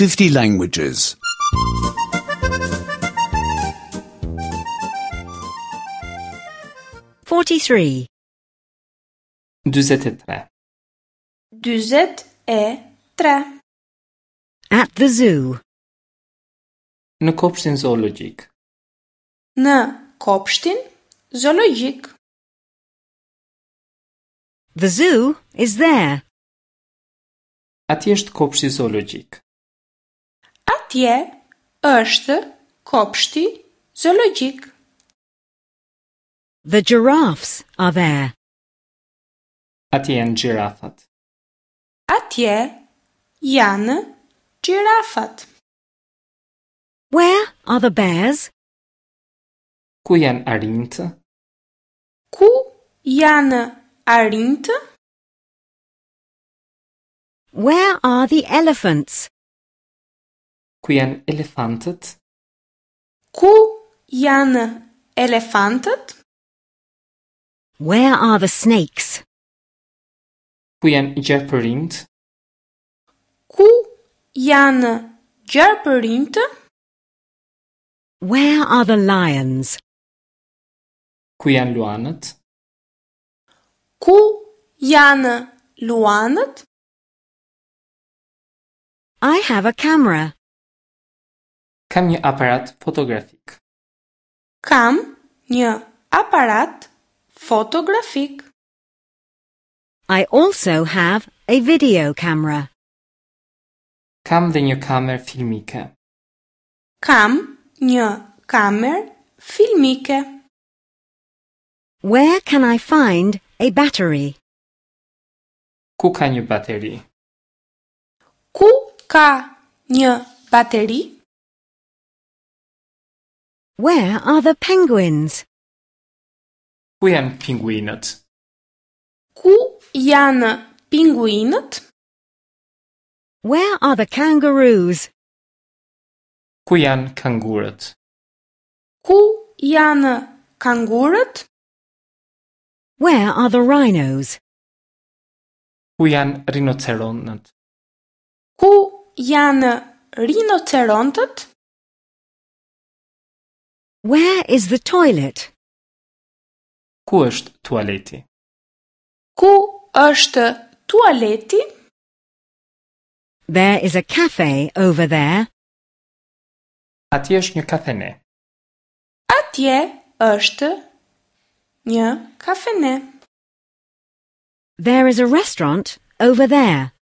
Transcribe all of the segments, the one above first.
50 languages. 43. 43. 43. At the zoo. Në kopshtin zoologjik. Në kopshtin zoologjik. The zoo is there. Atje është kopshti zoologjik. Atje është kopshti zoologjik. The giraffes are there. Atje janë gjirafat. Atje janë gjirafat. Where are the bears? Ku janë arinjtë? Ku janë arinjtë? Where are the elephants? Ku janë elefantët? Ku janë elefantët? Where are the snakes? Ku janë gjarpërinjtë? Ku janë gjarpërinjtë? Where are the lions? Ku janë luanët? Ku janë luanët? I have a camera. Kam një aparat fotografik. Kam një aparat fotografik. I also have a video camera. Kam dhe një kamerë filmike. Kam një kamerë filmike. Where can I find a battery? Ku ka një bateri? Ku ka një bateri? Where are the penguins? Ku janë pinguinët? Ku janë pinguinët? Where are the kangaroos? Ku janë kangurët? Ku janë kangurët? Where are the rhinos? Ku janë rinoceronët? Ku janë rinocerontët? Where is the toilet? Ku është tualeti? Ku është tualeti? There is a cafe over there. Atje është një kafene. Atje është një kafene. There is a restaurant over there.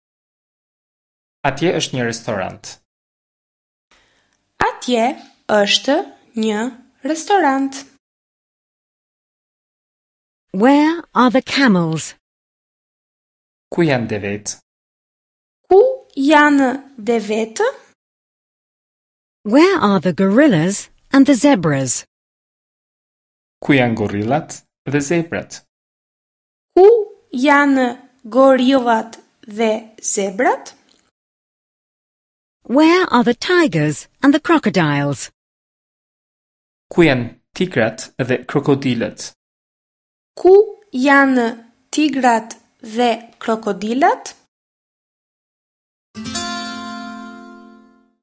Atje është një restorant. Atje është një restorant. Where are the camels? Ku janë devet? Ku janë devetë? Where are the gorillas and the zebras? Ku janë gorillat dhe zebrat? Ku janë gorillat dhe zebrat? Where are the tigers and the crocodiles? Ku janë tigrat dhe krokodilët? Ku janë tigrat dhe krokodilat?